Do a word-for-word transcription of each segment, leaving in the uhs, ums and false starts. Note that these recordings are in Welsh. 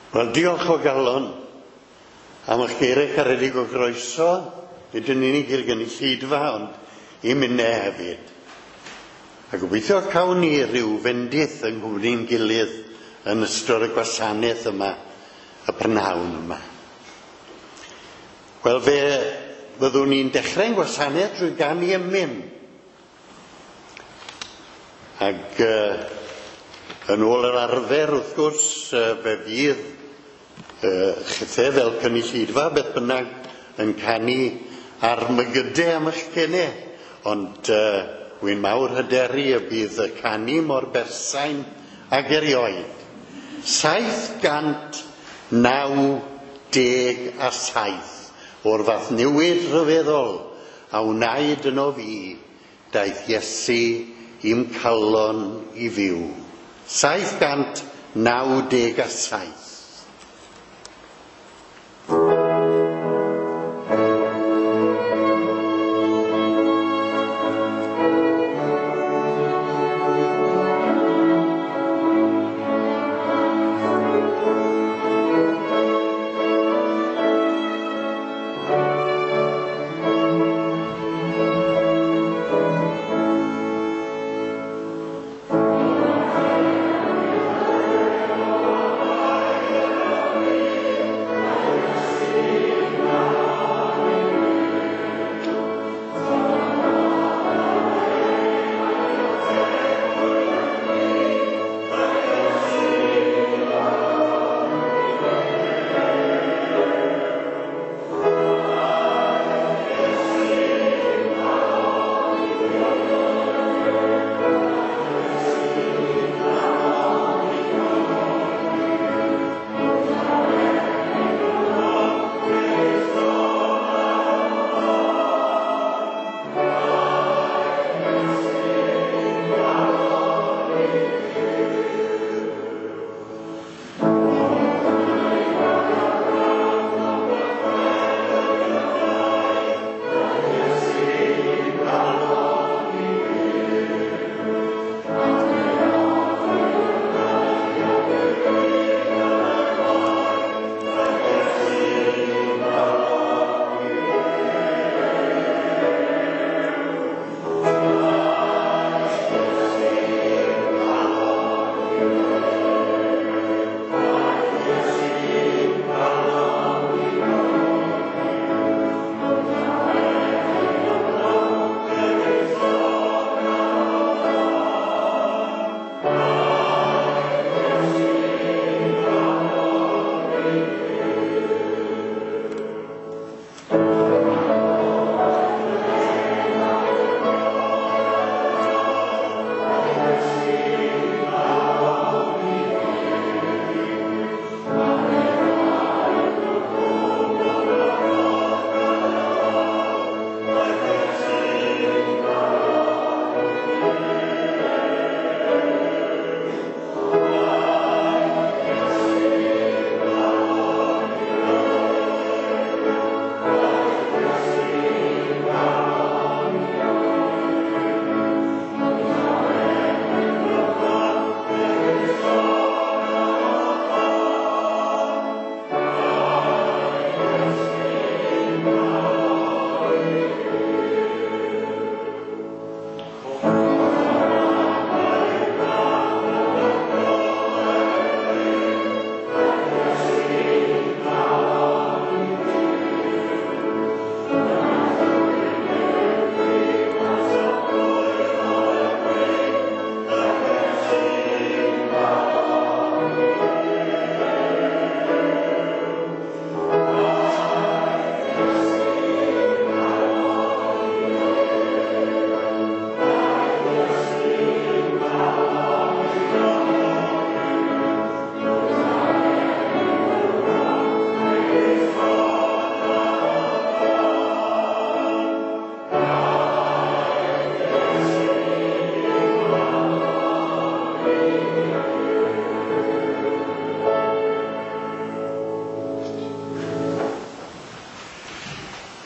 Wel, diolch o galon am eich geiriau caredig o groeso, nid yn unig i'r gynulleidfa, ond i minne hefyd. A gobeithio cawn ni ryw fendith yng nghwmni'n gilydd yn ystod y gwasanaeth yma, y prynhawn yma. Wel, fe fyddwn ni'n dechrau'n gwasanaeth drwy ganu emyn. Ac uh, yn ôl yr arfer, wrth gwrs, uh, fe fydd uh, chithe fel cynulleidfa, beth bynnag, yn canu ar mygydau am eich gennau. Ond uh, wy'n mawr hyderu y bydd y canu mor bersain ag erioed. Saith gant naw deg a saith o'r fath newid rhyfeddol a wnaed yno fi, daeth Iesu i'm calon i fyw. Saith gant naw deg a saith.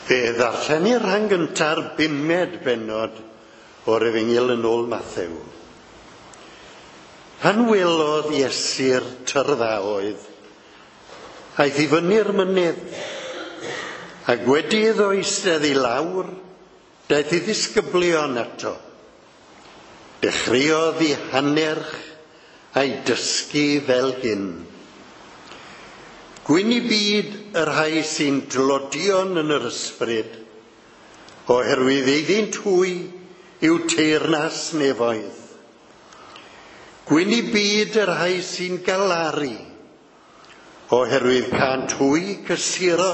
Fe ddarllenir rhan gynta'r bumed bennod o'r Efengyl yn ôl Mathew. Pan welodd Iesu'r tyrfaoedd, Aeth i fyny'r mynydd, ac wedi iddo eistedd i lawr, daeth ei ddisgyblion ato. Dechreuodd ei hannerch a'i dysgu fel hyn. Gwyn i byd y rhai sy'n dlodion yn yr ysbryd, oherwydd eiddynt hwy yw teyrnas nefoedd. Gwyn i byd y rhai sy'n galaru, oherwydd cânt hwy cysuro.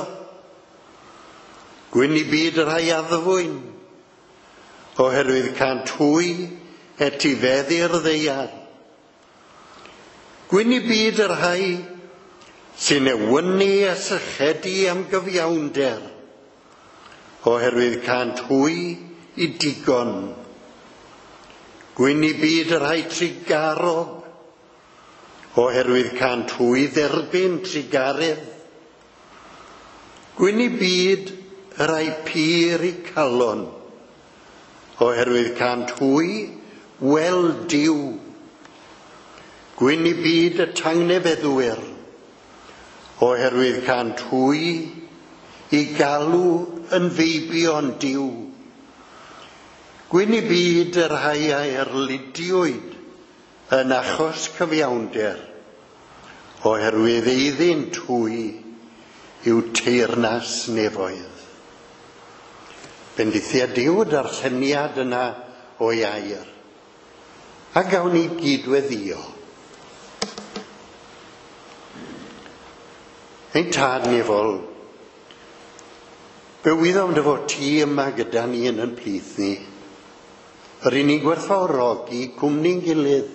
Gwyn i byd y rhai addfwyn, oherwydd cânt hwy etifeddu'r ddaear. Gwyn i byd y rhai sy'n newynu a sychedu am gyfiawnder, oherwydd cânt hwy i digon. Gwyn i byd y rhai trugarog, oherwydd cânt hwy dderbyn trugaredd. Gwyn i byd y rhai pur eu calon, oherwydd cânt hwy weld Duw. Gwyn i byd y tangnefeddwyr, oherwydd cânt hwy i galw yn feibion Duw. Gwyn i byd y rhai a erlidiwyd yn achos cyfiawnder, oherwydd eiddynt hwy yw teyrnas nefoedd. Bendithia Duw y darlleniad yna o'i air, a gawn ni gydweddïo. Ein tad nefol, fe wyddom dy fod ti yma gyda ni yn yn plith ni. Yr un ni'n gwerthfawrogi cwmni'n gilydd,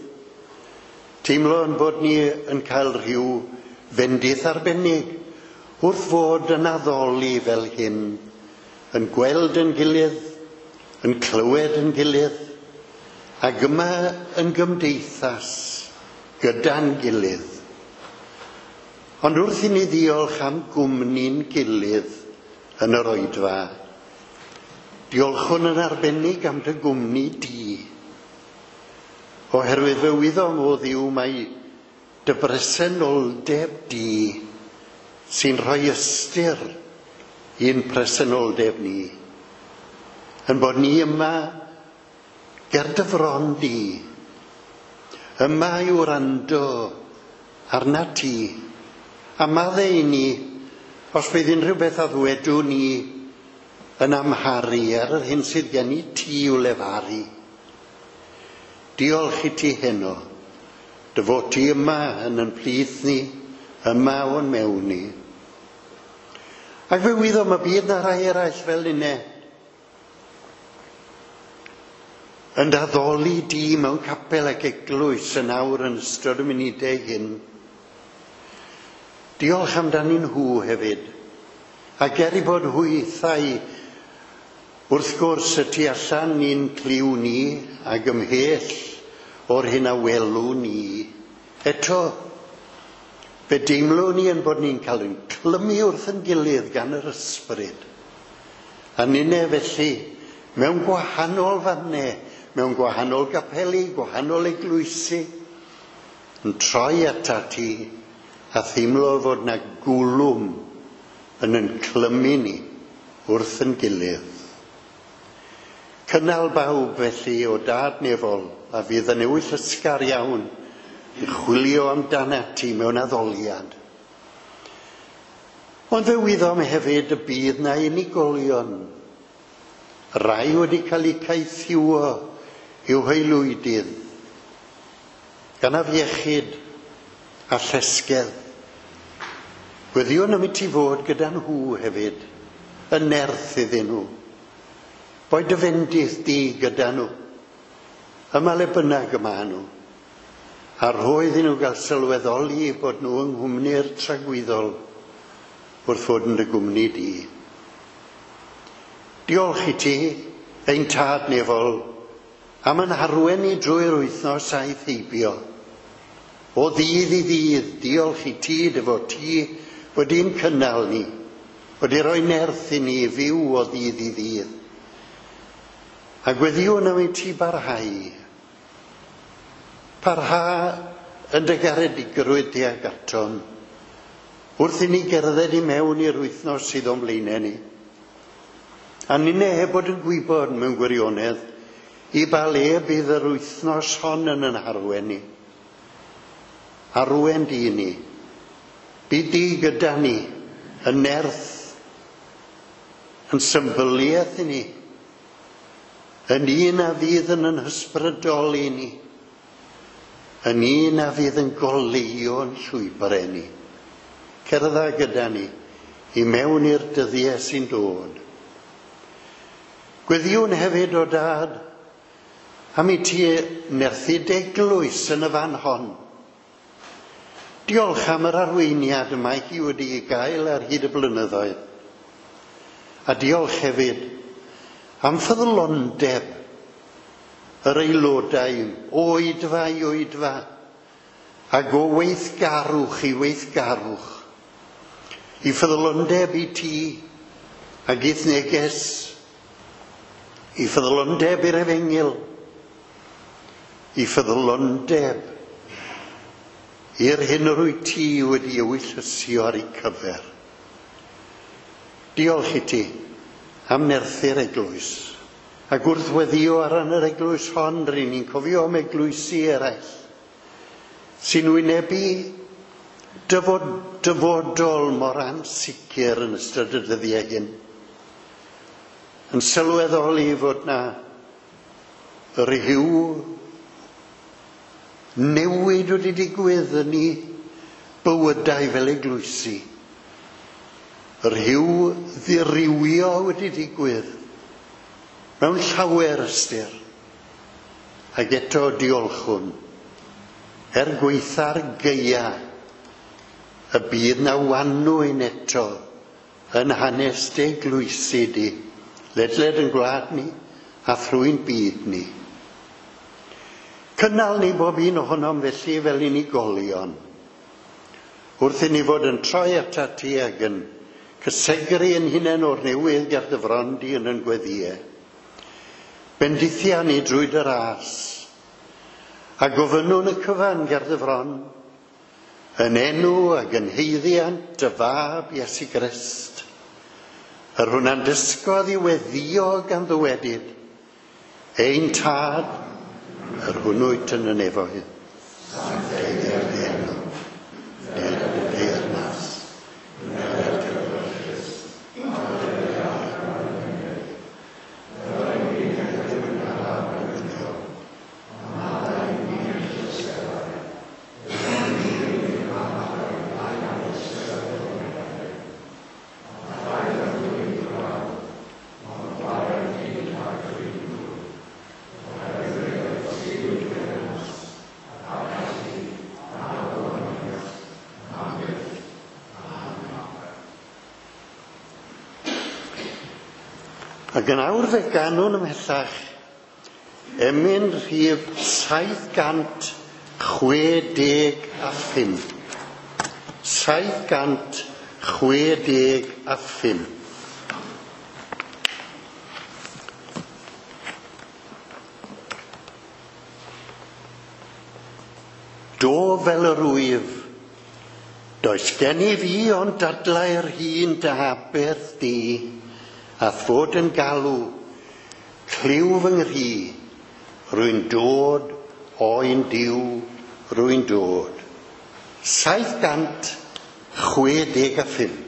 teimlo yn bod ni yn cael rhyw fendith arbennig wrth fod yn addoli fel hyn, yn gweld yn gilydd, yn clywed yn gilydd, ac yma yn gymdeithas gyda'n gilydd. Ond wrth i ni ddiolch am gwmni'n gilydd yn yr oedfa, diolchwn yn arbennig am dy gwmni di, oherwydd fe wyddom o Dduw mai dy bresenoldeb di sy'n rhoi ystyr i'n presenoldeb ni, yn bod ni yma ger dy fron di, yma i wrando arna ti, a maddau i ni os bydd unrhyw beth a ddwedwn ni yn amharu ar yr hyn sydd gen i ti i'w lefaru. Diolch i ti heno, dy fod ti yma yn yn plith ni, yma o'n mewn ni. Ac fe wyddom y bydd na rai eraill fel unne yn addoli di mewn capel ac eglwys yn awr yn ystod y munudau hyn. Diolch amdanyn nhw hefyd, ac er i bod hwythau wrth gwrs y tu allan ni'n cliw ni ac ymhell o'r hyn a welwn ni, eto fe deimlwn ni yn bod ni'n cael ein clymu wrth yn gilydd gan yr ysbryd. A ninne felly, mewn gwahanol fannau, mewn gwahanol gapeli, gwahanol eglwysi, yn troi atat ti a theimlo fod na gwlwm yn yn clymu ni wrth yn gilydd. Cynnal bawb felly o dad nefol a fydd yn ewyllysgar iawn i chwilio amdanat ti mewn addoliad. Ond fe wyddom hefyd y bydd na unigolion, rai wedi cael eu caethiwo i'w haelwydydd, gan afiechyd a llesgedd. Gweddïwn am i ti fod gyda nhw hefyd, yn nerth iddyn nhw. Boed dy fendith di gyda nhw, yma le bynnag y maen nhw, a rho iddyn nhw gael sylweddoli bod nhw yng nghwmni'r tragwyddol wrth fod yn dy gwmni di. Diolch i ti, ein tad nefol, am yn harwen ni drwy'r wythnos a'i heibio. O ddydd i ddydd, diolch i ti dy fod ti wedi'n cynnal ni, wedi rhoi nerth i ni fyw o ddydd i ddydd. A gweddïwn am i ti barhau. Parha yn dy garedigrwydd tuag atom, Wrth i ni gerdded i mewn i'r wythnos sydd o'n blaenau ni, a ninne heb bod yn gwybod mewn gwirionedd i ba le bydd yr wythnos hon yn yn harwen ni. Arwen di ni, bydd di gyda ni, yn nerth, yn symbyliaeth i ni, yn un a fydd yn yn hysbrydoli ni, yn un a fydd yn goleuo'n llwybrau ni. Cerdda gyda ni i mewn i'r dyddiau sy'n dod. Gweddiwn hefyd o dad am i ti nerthu d'eglwys yn y fan hon. Diolch am yr arweiniad y mae hi wedi'i gael ar hyd y blynyddoedd. A diolch hefyd am ffyddlondeb yr aelodau o oedfa i oedfa ac o weithgarwch i weithgarwch. I ffyddlondeb i ti ac i'th neges, i ffyddlondeb i'r efengyl, i ffyddlondeb i'r hyn yr wyt ti wedi ewyllysio ar ei cyfer. Diolch i ti am nerthu'r eglwys. Ac wrth weddio ar ran yr eglwys hon, ry'n ni'n cofio am eglwysi eraill sy'n wynebu dyfod, dyfodol mor ansicr yn ystod y dyddiau hyn. Yn sylweddoli fod na rhyw newid wedi digwydd yn ei bywydau fel eglwysi. Rhyw ddirywio wedi digwydd mewn llawer ystyr. Ac eto diolchwn, er gweitha'r gaea, y bydd na wanwyn eto yn hanes dy eglwysi di, ledled yn gwlad ni a thrwy'n byd ni. Cynnal ni bob un ohonom felly fel unigolion, wrth i ni fod yn troi atat ti ac yn cysegru yn hunain o'r newydd ger dy fron di yn yn gweddïau. Bendithia ni drwy dy ras, a gofynnwn y cyfan ger dy fron, yn enw ac yn haeddiant dy fab Iesu Grist, yr hwnna'n dysgodd i weddïo gan ddywedyd, ein tad, yr hwnnw wyt yn y nefoedd. Sancteiddier dy enw, ded dy deyrnas, wneler dy ewyllys, Ac yn awr fe ganwn ymhellach, emyn rhif saith cant chwe deg a phump. saith cant chwe deg a phump. Do fel yr wyf, does gen i fi ond dadlau'r hun dy aberth di, a fod yn galw, clyw fy nghri, rwy'n dod, oen Duw, rwy'n dod. Saith cant chwe deg a phump.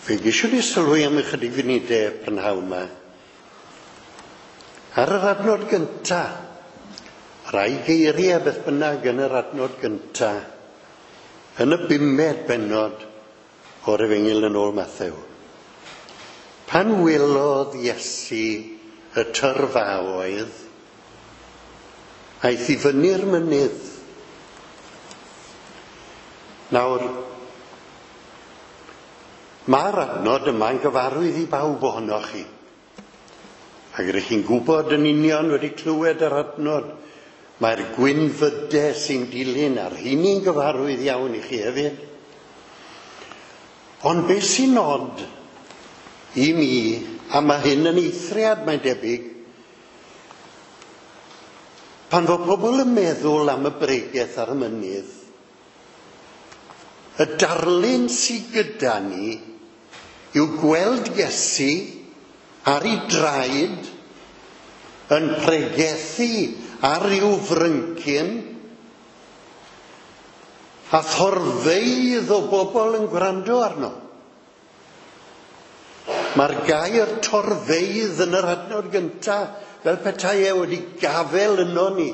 Fe geisiwn ni sylwi am ychydig funudau prynhawn yma. Ar yr adnod gynta, rai geiriau beth bynnag yn yr adnod gynta, yn y bumed bennod o'r Efengyl yn ôl Mathew. Pan welodd Iesu y tyrfaoedd, aeth i fyny'r mynydd. Nawr, mae'r adnod yma'n gyfarwydd i bawb ohonoch chi. Ac rydych chi'n gwybod yn union wedi clywed yr adnod, mae'r gwynfydau sy'n dilyn a'r hynny'n gyfarwydd iawn i chi hefyd. Ond beth sy'n nod i mi, a mae hyn yn eithriad mae'n debyg, pan fo pobl yn meddwl am y bregeth ar y mynydd, y darlun sydd gyda ni yw gweld Iesu ar ei draed yn pregethu ar ryw fryncyn a thorfeydd o bobl yn gwrando arno. Mae'r gair torfeydd yn yr adnod gyntaf fel petai e wedi gafel yno ni.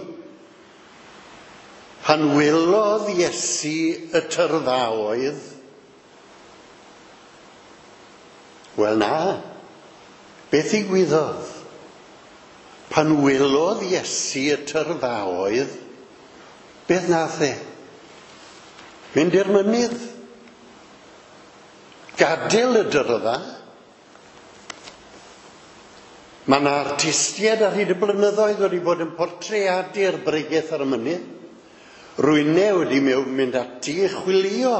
Pan welodd Iesu y tyrfaoedd, wel na, beth ddigwyddodd? Pan welodd Iesu y tyrfaoedd, beth nath e? Mynd i'r mynydd, gadael y dyrfa. Mae yna artistiaid ar hyd y blynyddoedd wedi bod yn portreadu'r bregeth ar y mynydd. Rwyne wedi mynd ati i chwilio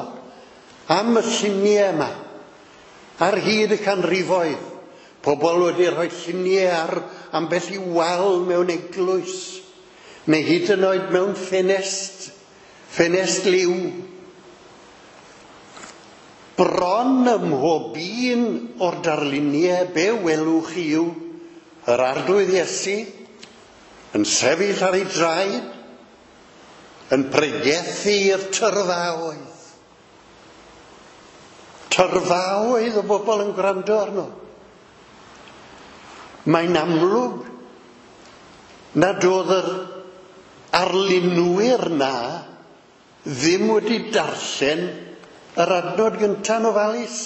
am y lluniau yma ar hyd y canrifoedd. Pobl wedi rhoi lluniau ar ambell i wal mewn eglwys, neu hyd yn oed mewn ffenest, ffenest liw. Bron ym mhob un o'r darluniau be welwch chi yw yr Arglwydd Iesu yn sefyll ar ei draed, yn pregethu i'r tyrfaoedd. Tyrfaoedd o bobl yn gwrando arno. Mae'n amlwg nad oedd yr arlunwyr na ddim wedi darllen yr adnod gynta'n ofalus.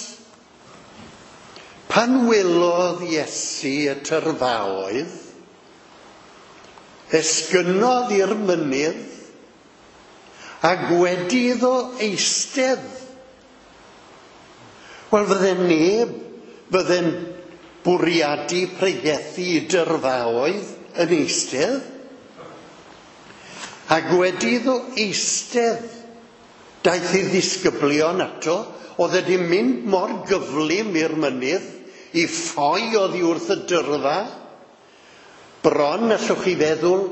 Pan welodd Iesu y tyrfaoedd, esgynnodd i'r mynydd ac wedi iddo eistedd. Wel, fydde neb, fydde'n bwriadu pregethu i dyrfaoedd yn eistedd. Ac wedi iddo eistedd, daeth ei ddisgyblion ato, oedd wedi mynd mor gyflym i'r mynydd, i ffoi oddi wrth y dyrfa. Bron, allwch chi feddwl,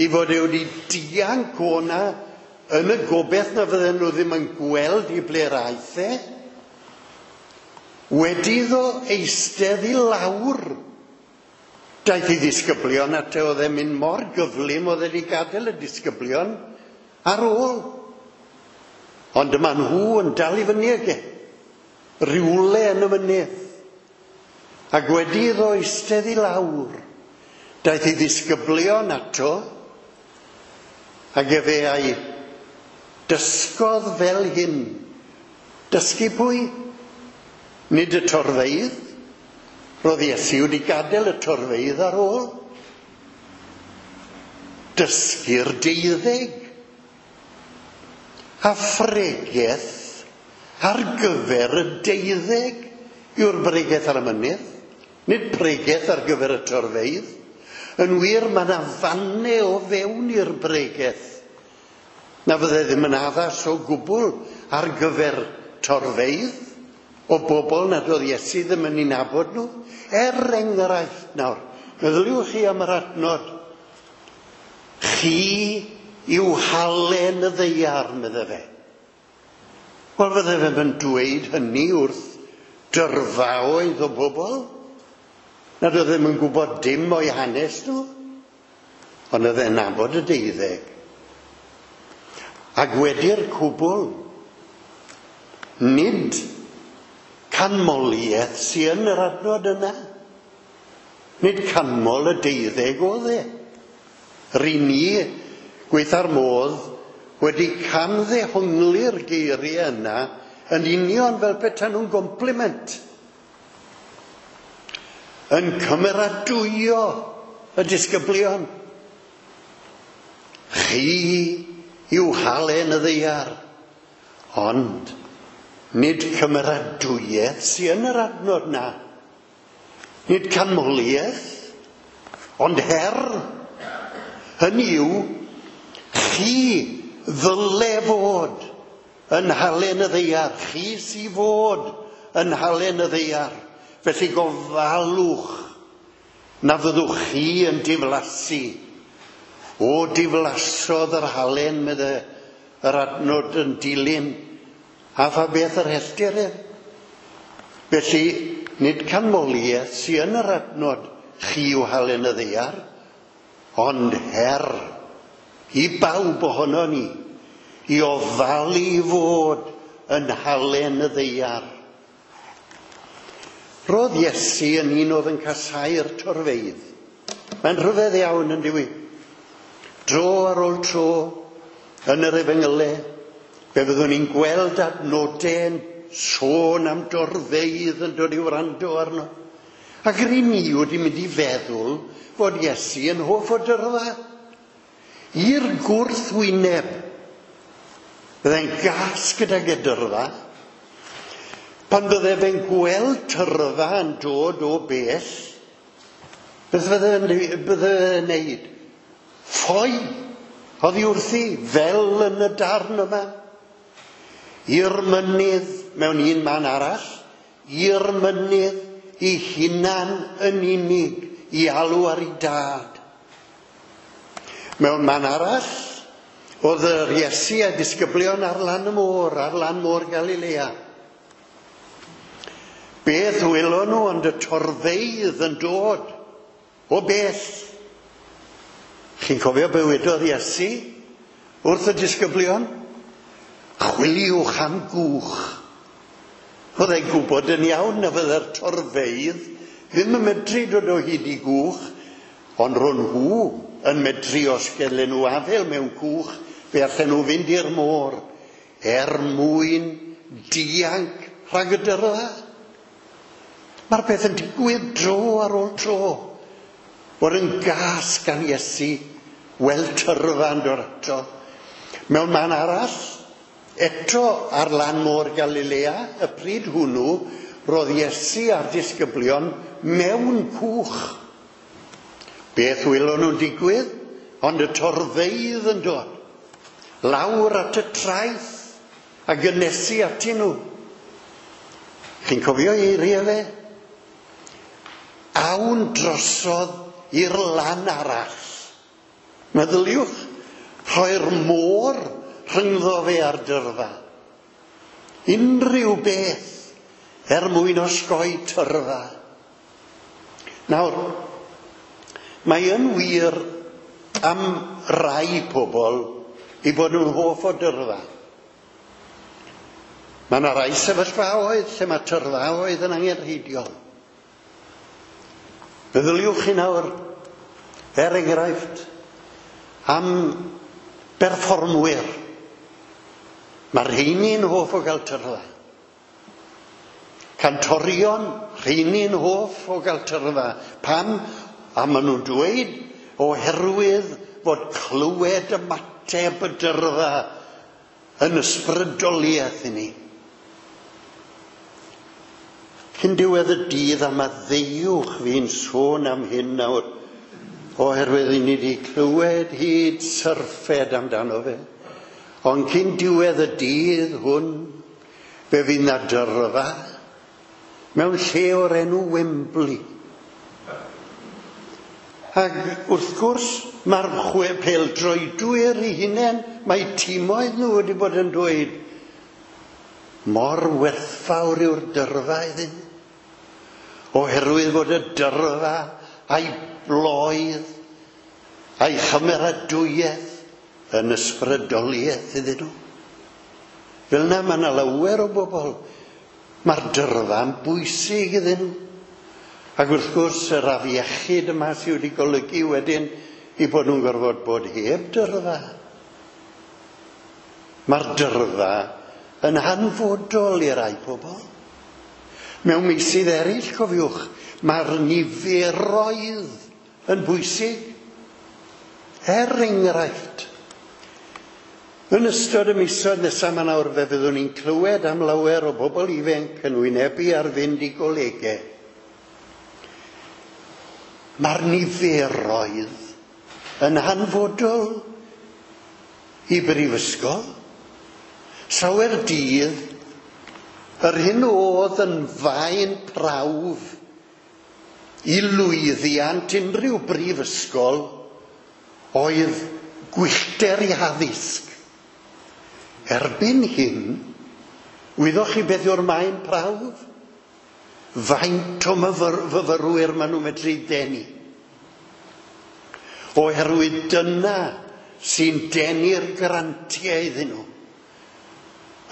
i fod e wedi dianc o'na yn y gobeith na fydden nhw ddim yn gweld i ble'r aeth e. Wedi iddo eistedd i lawr, daeth ei ddisgyblion ato, oedd e'n mynd mor gyflym, oedd e wedi gadael y disgyblion ar ôl. Ond dyma nhw yn dal i fyny ag e, rywle yn y mynydd. Ac wedi iddo eistedd i lawr, daeth ei ddisgyblion ato, ac efe a'i dysgodd fel hyn. Dysgu pwy? Nid y torfeydd. Roedd Iesu wedi gadael y torfeydd ar ôl. Dysgu'r deuddeg. A phregeth ar gyfer y deuddeg yw'r bregeth ar y mynydd. Nid pregeth ar gyfer y torfeydd. Yn wir, mae yna fannau o fewn i'r bregeth na fydde ddim yn addas o gwbl ar gyfer torfeydd o bobl nad oedd Iesu ddim yn ei nabod nhw. Er enghraifft nawr, meddyliwch chi am yr adnod. Chi yw halen y ddaear, medde fe. Wel, fydde fe'n dweud hynny wrth dyrfaoedd o bobl nad oedd ddim yn gwybod dim o'i hanes nhw, ond oedd e'n nabod y deuddeg. Ac wedi'r cwbl, nid canmoliaeth sy'n yn yr adnod yna. Nid canmol y deuddeg oedd e. Ry'n ni, gweitha'r modd, wedi camddehongli'r geiriau yna yn union fel petai nhw'n gompliment. Yn cymeradwyo y disgyblion. Chi yw halen y ddaear, ond nid cymeradwyaeth sy'n yn yr adnod na. Nid canmoliaeth, ond her. Hynny yw, chi ddyle fod yn halen y ddaear. Chi sy fod yn halen y ddaear. Felly gofalwch na fyddwch chi yn diflasu. O, diflasodd yr halen, medde yr adnod yn dilyn. A pha beth yr helltir ef? Felly, nid canmoliaeth sy'n yn yr adnod chi yw halen y ddaear, ond her i bawb ohono ni, i ofalu i fod yn halen y ddaear. Roedd Iesu yn un oedd yn casáu'r torfeydd. Mae'n rhyfedd iawn yn dyw i. Dro ar ôl tro, yn yr efengylau, fe fyddwn ni'n gweld adnodau'n sôn am dorfeydd yn dod i wrando arno. Ac ry'n ni wedi mynd i feddwl fod Iesu yn hoff o dyrfa. I'r gwrthwyneb, byddai'n gas gydag y dyrfa. Pan bydde fe'n gweld tyrfa yn dod o bell, beth fydde bydde fe'n neud? Ffoi oddi wrthi, fel yn y darn yma. I'r mynydd mewn un man arall, i'r mynydd ei hunan yn unig i alw ar ei dad. Mewn man arall, oedd yr Iesu a disgyblion ar lan y môr, ar lan môr Galilea. Beth welon nhw ond y torfeydd yn dod o bell. Chi'n cofio be wedodd Iesu wrth y disgyblion? Chwiliwch am gwch. Oedd e'n gwybod yn iawn na fydde'r torfeydd ddim yn medru dod o hyd i gwch, ond ro'n nhw yn medru os gelen nhw afael mewn cwch, fe allan nhw fynd i'r môr er mwyn dianc rhag y dyrfa. Mae'r peth yn digwydd dro ar ôl tro. Bod yn gas gan Iesu weld tyrfa yn dod ato. Mewn man arall, eto ar lan môr Galilea, y pryd hwnnw, roedd Iesu a'r disgyblion mewn cwch. Beth welon nhw'n digwydd? Ond y torfeydd yn dod. Lawr at y traeth a gynnesu atyn nhw. Chi'n cofio eiriau fe? Awn drosodd i'r lan arall. Meddyliwch, rhoi'r môr rhyngddo fe a'r dyrfa. Unrhyw beth er mwyn osgoi tyrfa. Nawr, mae yn wir am rai pobl i bod nhw'n hoff o dyrfa. Mae yna rai sefyllfaoedd lle mae tyrfaoedd yn angenrheidiol. Meddyliwch chi nawr, er enghraifft, am berfformwyr. Mae'r rheini'n hoff o gael tyrfa. Cantorion, rheini'n hoff o gael tyrfa. Pam? A maen nhw'n dweud oherwydd fod clywed ymateb y dyrfa yn ysbrydoliaeth i ni. Cyn diwedd y dydd, a maddeuwch fi'n sôn am hyn nawr, oherwydd i ni wedi clywed hyd syrffed amdano fe. Ond cyn diwedd y dydd hwn, fe fydd na dyrfa mewn lle o'r enw Wembley. Ac wrth gwrs, mae'r chwe pêl-droedwyr eu hunain, mae timoedd nhw wedi bod yn dweud, mor werthfawr yw'r dyrfa iddyn. Oherwydd fod y dyrfa a'i bloedd, a'i chymeradwyaeth yn ysbrydoliaeth iddyn nhw. Fel yna mae yna lawer o bobl, mae'r dyrfa'n bwysig iddyn nhw. Ac wrth gwrs, yr afiechyd yma sydd wedi golygu wedyn i bod nhw'n gorfod bod heb dyrfa. Mae'r dyrfa yn hanfodol i rai pobl. Mewn meysydd eraill, cofiwch, mae'r niferoedd yn bwysig. Er enghraifft, yn ystod y misoedd nesaf yma nawr, fe fyddwn ni'n clywed am lawer o bobl ifanc yn wynebu ar fynd i golegau. Mae'r niferoedd yn hanfodol i brifysgol. Sawer dydd, yr hyn oedd yn faen prawf i lwyddiant unrhyw brifysgol oedd gwyllter i addysg. Erbyn hyn, wyddoch chi beth yw'r maen prawf? Faint o myfyrwyr maen nhw'n medru denu. Oherwydd dyna sy'n denu'r grantiau iddyn nhw.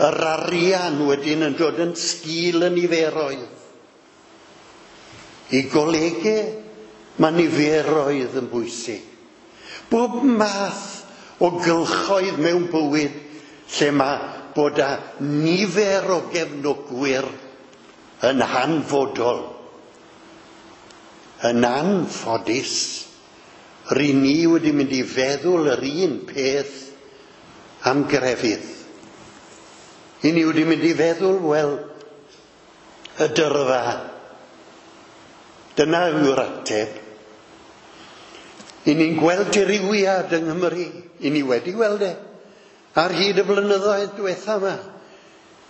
Yr arian wedyn yn dod yn sgil y niferoedd. I golegau, mae niferoedd yn bwysig. Bob math o gylchoedd mewn bywyd lle mae bod â nifer o gefnogwyr yn hanfodol. Yn anffodus, ry'n ni wedi mynd i feddwl yr un peth am grefydd. I ni wedi mynd i feddwl, wel, y dyrfa. Dyna yw'r ateb. I ni'n gweld dirywiad yng Nghymru. I ni wedi gweld e ar hyd y blynyddoedd diwetha yma.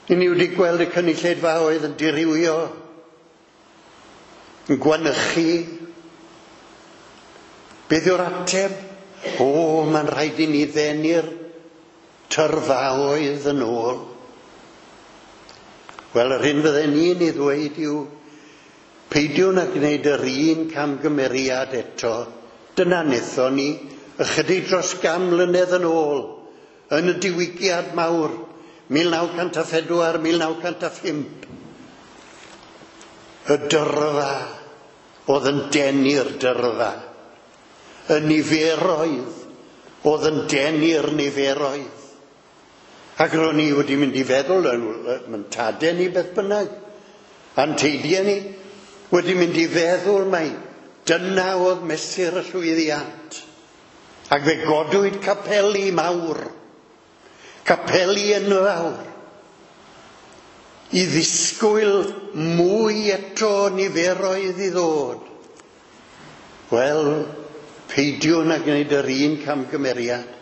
I ni wedi gweld y cynulleidfaoedd yn dirywio. yn gwanychu. Beth yw'r ateb? O, mae'n rhaid i ni ddenu'r tyrfaoedd yn ôl. Wel, yr hyn fydden ni'n ei ddweud yw, peidiwn â gwneud yr un camgymeriad eto. Dyna wnaethon ni ychydig dros gan mlynedd yn ôl, yn y diwygiad mawr, mil naw cant a phedwar, mil naw cant a phump. Y dyrfa oedd yn denu'r dyrfa. Y niferoedd oedd yn denu'r niferoedd. Ac ro'n i wedi mynd i feddwl, yn tadau ni beth bynnag, a'n teidiau ni, wedi mynd i feddwl mai dyna oedd mesur y llwyddiant. Ac fe godwyd capeli mawr, capeli enfawr, i ddisgwyl mwy eto niferoedd i ddod. Wel, peidiwn â gwneud yr un camgymeriad.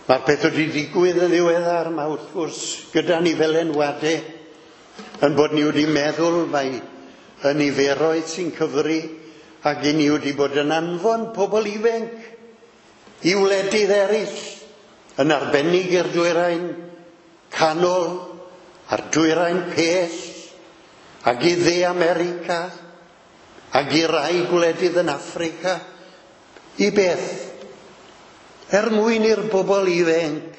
Mae'r peth wedi digwydd yn ddiweddar yma wrth gwrs gyda ni fel enwadau, yn bod ni wedi meddwl mai y niferoedd sy'n cyfri, ac i ni wedi bod yn anfon pobl ifanc i wledydd eraill, yn arbennig i'r dwyrain canol a'r dwyrain pell, ac i dde America, ac i rai gwledydd yn Affrica. I beth? Er mwyn i'r bobl ifanc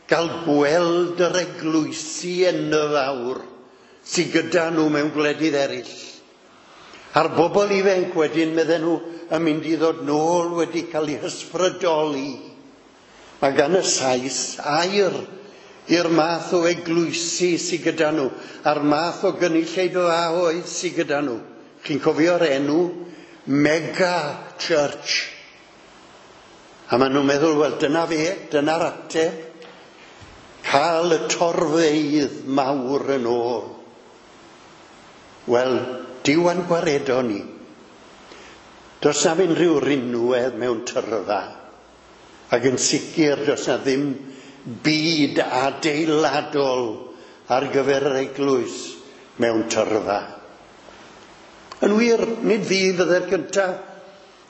gael gweld yr eglwysi enfawr sydd gyda nhw mewn gwledydd eraill. A'r bobl ifanc wedyn, medden nhw, yn mynd i ddod nôl wedi cael eu hysbrydoli. Mae gan y Sais air i'r math o eglwysi sydd gyda nhw, a'r math o gynulleidfaoedd sydd gyda nhw. Chi'n cofio'r enw? Mega Church. A maen nhw'n meddwl, wel, dyna fe, dyna'r ateb. Cael y torfeydd mawr yn ôl. Wel, Duw a'n gwaredo ni. Does na unrhyw rinwedd mewn tyrfa. Ac yn sicr, does na ddim byd adeiladol ar gyfer yr eglwys mewn tyrfa. Yn wir, nid fi fydde'r gyntaf,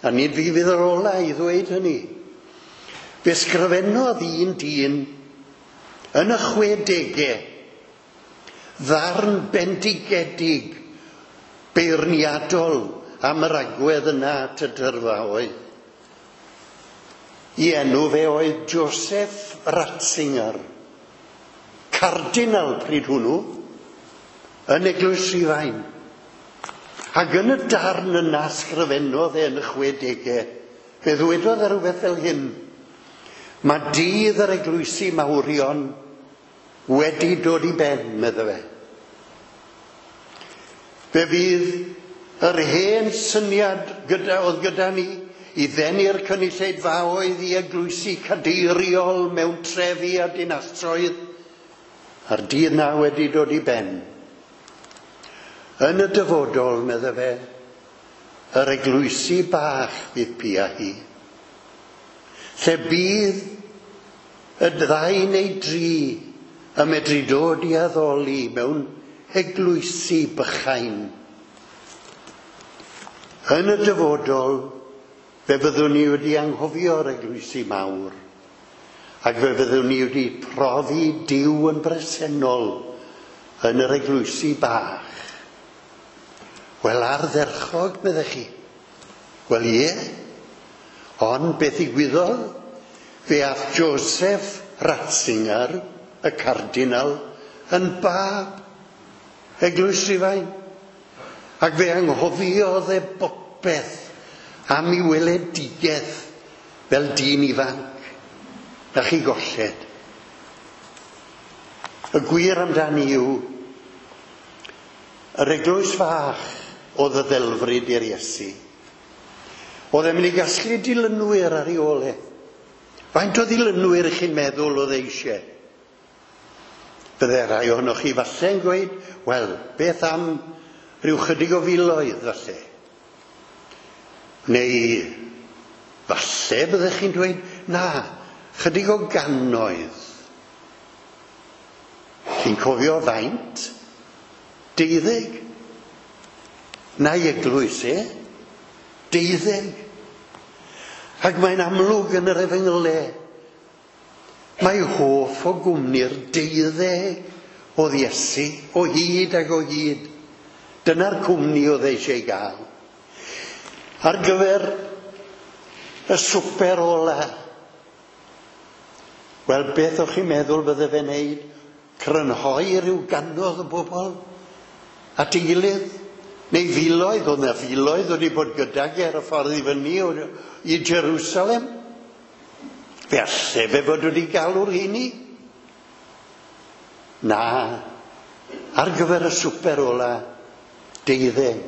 a nid fi fydd yr ola i ddweud hynny. Fe sgrifennodd un dyn yn y chwedegau ddarn bendigedig beirniadol am yr agwedd yna at y dyrfaoedd. I enw fe oedd Joseph Ratzinger, cardinal pryd hwnnw, yn Eglwys Rhufain. Ac yn y darn yna sgrifennodd e yn y chwedegau, fe ddwedodd e rhywbeth fel hyn: mae dydd yr eglwysi mawrion wedi dod i ben, medde fe. Fe fydd yr hen syniad gyda, oedd gyda ni i ddenu'r cynulleidfaoedd i eglwysi cadeiriol mewn trefi a dinasoedd, a'r dydd na wedi dod i ben. Yn y dyfodol, medde fe, yr eglwysi bach fydd pia hi, lle bydd y ddau neu dri yn medru dod i addoli mewn eglwysi bychain. Yn y dyfodol, fe fyddwn ni wedi anghofio'r eglwysi mawr, ac fe fyddwn ni wedi profi Duw yn bresennol yn yr eglwysi bach. Wel, ardderchog, meddech chi. Wel, ie. Ond beth ddigwyddodd? Fe ath Joseph Ratzinger, y cardinal, yn bab Eglwys Rhufain. Ac fe anghofiodd e bopeth am ei weledigaeth fel dyn ifanc. Na chi golled. Y gwir amdani yw, yr eglwys fach oedd y ddelfryd i'r Iesu. Oedd e'n mynd i gasglu dilynwyr ar ei ôl e. Faint o ddilynwyr ych chi'n meddwl oedd e eisiau? Bydde rai ohonoch chi falle'n gweud, wel, beth am rhyw chydig o filoedd falle? Neu falle byddech chi'n dweud, na, chydig o gannoedd. Chi'n cofio faint? Deuddeg. Na'i eglwys e, deuddeg. Ac mae'n amlwg yn yr efengylau, mae hoff o gwmni'r deuddeg oedd Iesu, o hyd ac o hyd. Dyna'r cwmni oedd eisiau gael. Ar gyfer y swper ola. Wel, beth o'ch chi'n meddwl bydde fe'n neud? Crynhoi rhyw gannoedd o bobl at ei gilydd? Neu filoedd, oedd 'na filoedd wedi bod gydag e ar y ffordd i fyny i Jerusalem. Fe alle fe fod wedi galw'r rheini? Na, ar gyfer y swper ola, deuddeg.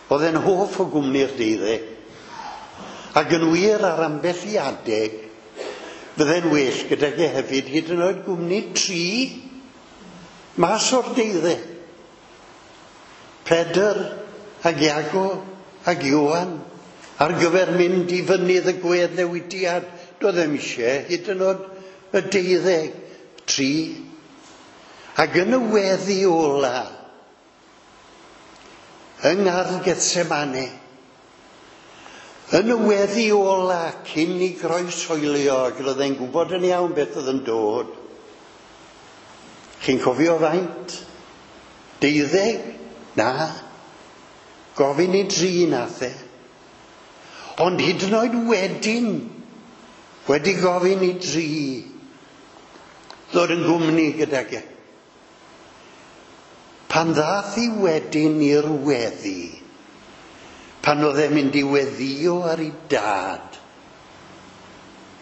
Oedd e'n hoff o gwmni'r deuddeg. Ac yn wir ar ambell i adeg, fydde'n well gydag e hefyd hyd yn oed gwmni tri mas o'r deuddeg. Pedr ag Iago ag Ioan ar gyfer mynd i fynydd y gweddnewidiad. Doedd ddim eisiau hyd yn oed y deuddeg, tri. Ac yn y weddi ola, yng Ngardd Gethsemane, yn y weddi ola cyn i groeshoelio, ac roedd e'n gwybod yn iawn beth oedd yn dod. Chi'n cofio faint? Deuddeg? Na. Gofyn i dri nath e. Ond hyd yn oed wedyn, wedi gofyn i dri, ddod yn gwmni gydag e. Pan ddath i wedyn i'r weddi, pan oedd e'n mynd i weddio ar ei dad,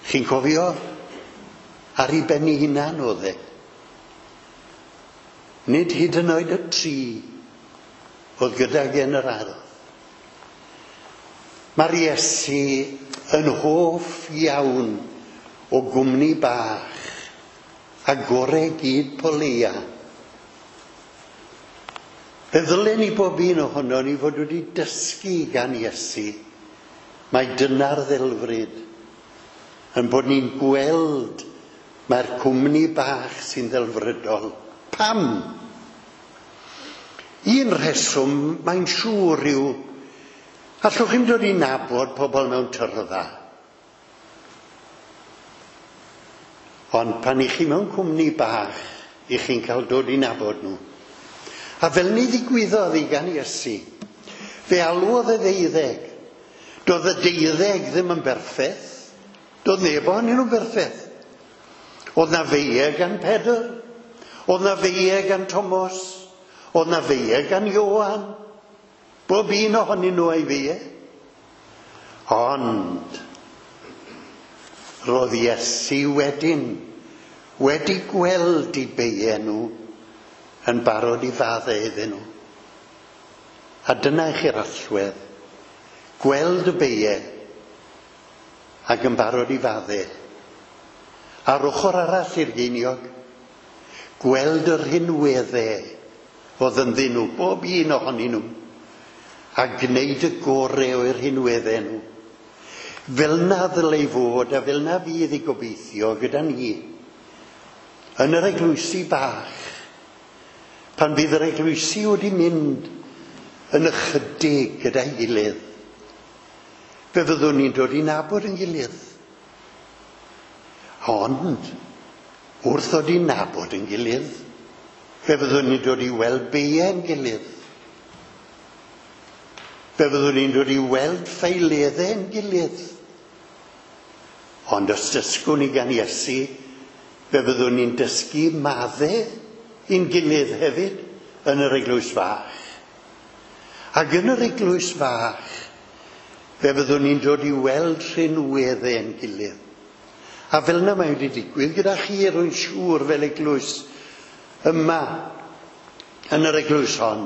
chi'n cofio? Ar ei ben ei hunan oedd e. Nid hyd yn oed y tri oedd gydag e yn yr ardd. Mae'r Iesu yn hoff iawn o gwmni bach a gore gyd po leia. Fe ddylen ni bob un ohono ni fod wedi dysgu gan Iesu mai dyna'r ddelfryd, yn bod ni'n gweld mae'r cwmni bach sy'n ddelfrydol. Pam? Un rheswm mae'n siŵr yw, allwch chi'm dod i nabod pobl mewn tyrfa. Ond pan i chi mewn cwmni bach, i chi'n cael dod i nabod nhw. A fel ni ddigwyddodd i gan Iesu, fe alwodd y ddeuddeg. Doedd y deuddeg ddim yn berffaith. Doedd neb ohonyn nhw'n berffaith. Oedd na feie gan Pedr, oedd na feie gan Tomos, oedd na feie gan Ioan. Bob un ohonyn nhw a'i feie. Ond roedd Iesu wedyn wedi gweld i beie nhw yn barod i faddau iddyn nhw. A dyna i chi'r allwedd. Gweld y beie ac yn barod i faddau. A'r ochr arall i'r geiniog, gweld yr rhinweddau oedd ynddyn nhw, bob un ohonyn nhw, a gwneud y gorau o'r rhinweddau nhw. Fel na ddylai fod a fel na fydd i gobeithio gyda ni yn yr eglwysi bach, pan fydd yr eglwysi wedi mynd yn ychydig gyda'i gilydd, fe fyddwn ni'n dod i nabod yn gilydd. Ond, wrth ddod i nabod yn gilydd, fe fyddwn ni'n dod i weld beiau'n gilydd. Fe fyddwn ni'n dod i weld ffeileddau'n gilydd. Ond os dysgwn ni gan Iesu, fe fyddwn ni'n dysgu maddau i'n gilydd hefyd yn yr eglwys fach. Ac yn yr eglwys fach, fe fyddwn ni'n dod i weld rhinweddau'n gilydd. A fel yna mae wedi digwydd gyda chi, rwy'n siŵr, fel eglwys yma, yn yr eglwys hon.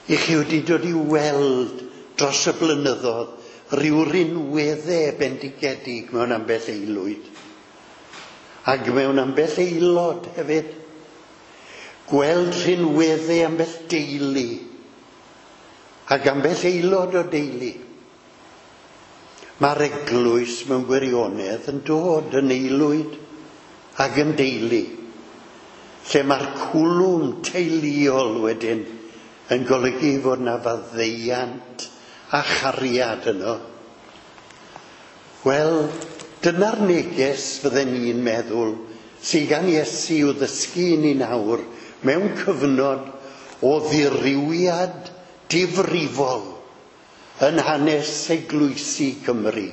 I chi wedi dod i weld dros y blynyddoedd rhyw rinweddau bendigedig mewn ambell aelwyd. Ac mewn ambell aelod hefyd. Gweld rhinweddau ambell deulu. Ac ambell aelod o deulu. Mae'r eglwys mewn gwirionedd yn dod yn aelwyd ac yn deulu, lle mae'r cwlwm teuluol wedyn yn golygu fod 'na faddeuant a chariad yno. Wel, dyna'r neges fydden ni'n meddwl sydd gan Iesu i'w ddysgu i ni nawr mewn cyfnod o ddirywiad difrifol yn hanes eglwysi Cymru.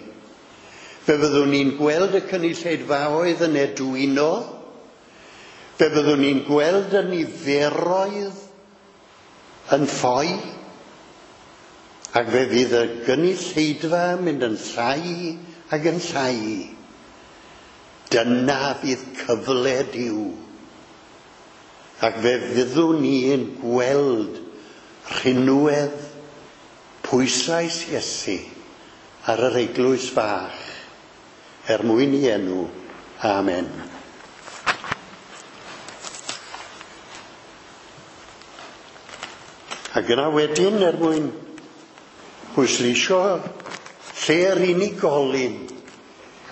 Fe fyddwn ni'n gweld y cynulleidfaoedd yn edwino, fe fyddwn ni'n gweld y niferoedd yn ffoi, ac fe fydd y gynulleidfa yn mynd yn llai ac yn llai. Dyna fydd cyfle Duw. Ac fe fyddwn ni'n gweld rhinwedd pwyslais Iesu ar yr eglwys fach, er mwyn i enw. Amen. Ac yna wedyn, er mwyn pwysleisio lle'r unigolyn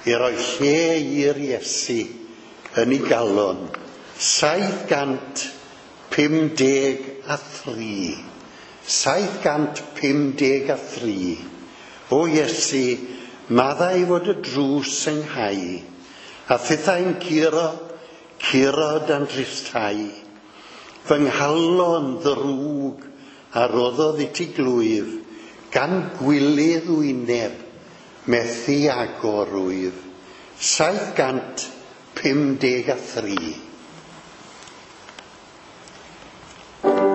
i roi lle i'r Iesu yn ei galon, saith gant pum deg a thri. saith gant pum deg a thri. O Iesu, maddau fod y drws ynghau, a thithau'n curo, curo dan dristau. Fy nghalon ddrwg a roddodd i ti glwyf, gan gwilydd wyneb, methu agor rwyf. saith gant pum deg a thri. Thank you.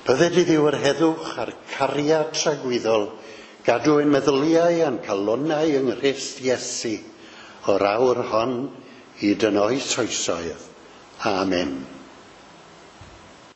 Bydded i Dduw yr heddwch a'r cariad tragwyddol gadw ein meddyliau a'n calonnau yng Nghrist Iesu o'r awr hon hyd yn oes oesoedd. Amen.